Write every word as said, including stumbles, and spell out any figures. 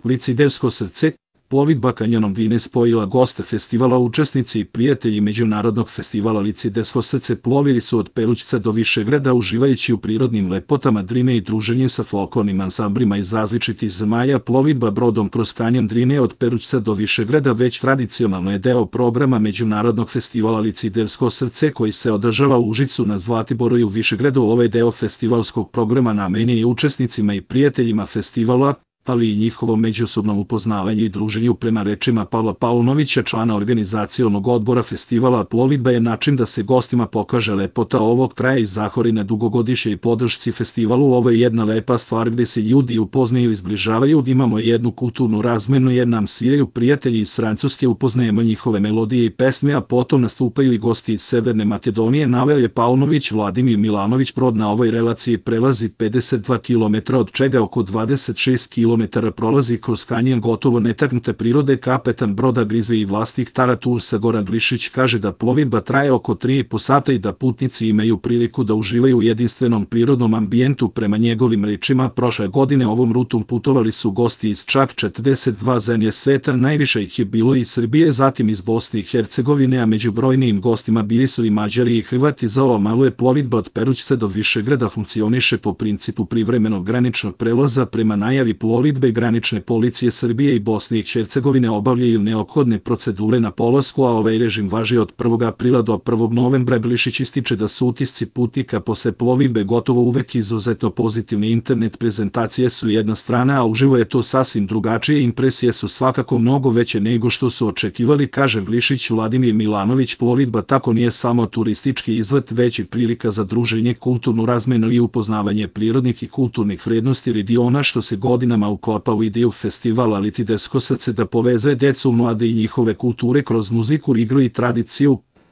Licidevsko srce, plovidba kanjonom Drine spojila goste festivala, učesnici i prijatelji Međunarodnog festivala Licidevsko srce plovili su od Perućca do Višegrada uživajući u prirodnim lepotama Drine i druženje sa folklornim ansamblima iz različitih zemalja. Plovidba brodom kroz kanjon Drine od Perućca do Višegrada već tradicionalno je deo programa Međunarodnog festivala Licidevsko srce koji se održava u Užicu, na Zlatiboru i u Višegradu. Ovaj deo festivalskog programa namenjen je učesnicima i prijateljima festivala, ali i njihovom međusobnom upoznavanju i druženju. Prema rečima Pavla Paunovića, člana organizacionog odbora festivala, plovidba je način da se gostima pokaže lepota ovog kraja i zahvali na dugogodišnjoj podršci festivalu. Ovo je jedna lepa stvar gde se ljudi upoznaju i zbližavaju, imamo jednu kulturnu razmenu jer nam sviraju prijatelji iz Francuske, upoznajemo njihove melodije i pesme, a potom nastupaju i gosti iz Severne Makedonije, naveo je Paunović. Vladimir Milanović, brod na ovoj relaciji prelazi pedeset dva kilometra, od čega oko dvadeset šest kilometara prolazi kroz kanjon gotovo netaknute prirode. Kapetan broda Grizve i vlasnik Tara Toursa Goran Glišić kaže da plovidba traje oko tri i po sata i da putnici imaju priliku da uživaju u jedinstvenom prirodnom ambijentu. Prema njegovim rečima, prošle godine ovom rutom putovali su gosti iz čak četrdeset dva zemlje sveta, najviše ih je bilo iz Srbije, zatim iz Bosne i Hercegovine, a među brojnijim gostima bili su i Mađari i Hrvati. Za ovo malo je plovidba od Perućca do Višegrada funkcioniše po principu privremenog graničnog prelaza. Prema najavi plovidbe, granične policije Srbije i Bosne i Hercegovine obavljaju neophodne procedure na polasku, a ovaj režim važi od prvog aprila do prvog novembra. Glišić ističe da su utisci putnika posle plovidbe gotovo uvek izuzetno pozitivni. Internet prezentacije su jedna strana, a uživo je to sasvim drugačije. Impresije su svakako mnogo veće nego što su očekivali, kaže Glišić. Vladimir Milanović, plovidba tako nije samo turistički izlet, već i prilika za druženje, kulturnu razmenu i upoznavanje prirodnih i kulturnih vrednosti regiona, što se godinama uklapa u ideju festivala Licidevsko srce da poveze decu, mlade i njihove kulture kroz muziku, igru i tradiciju.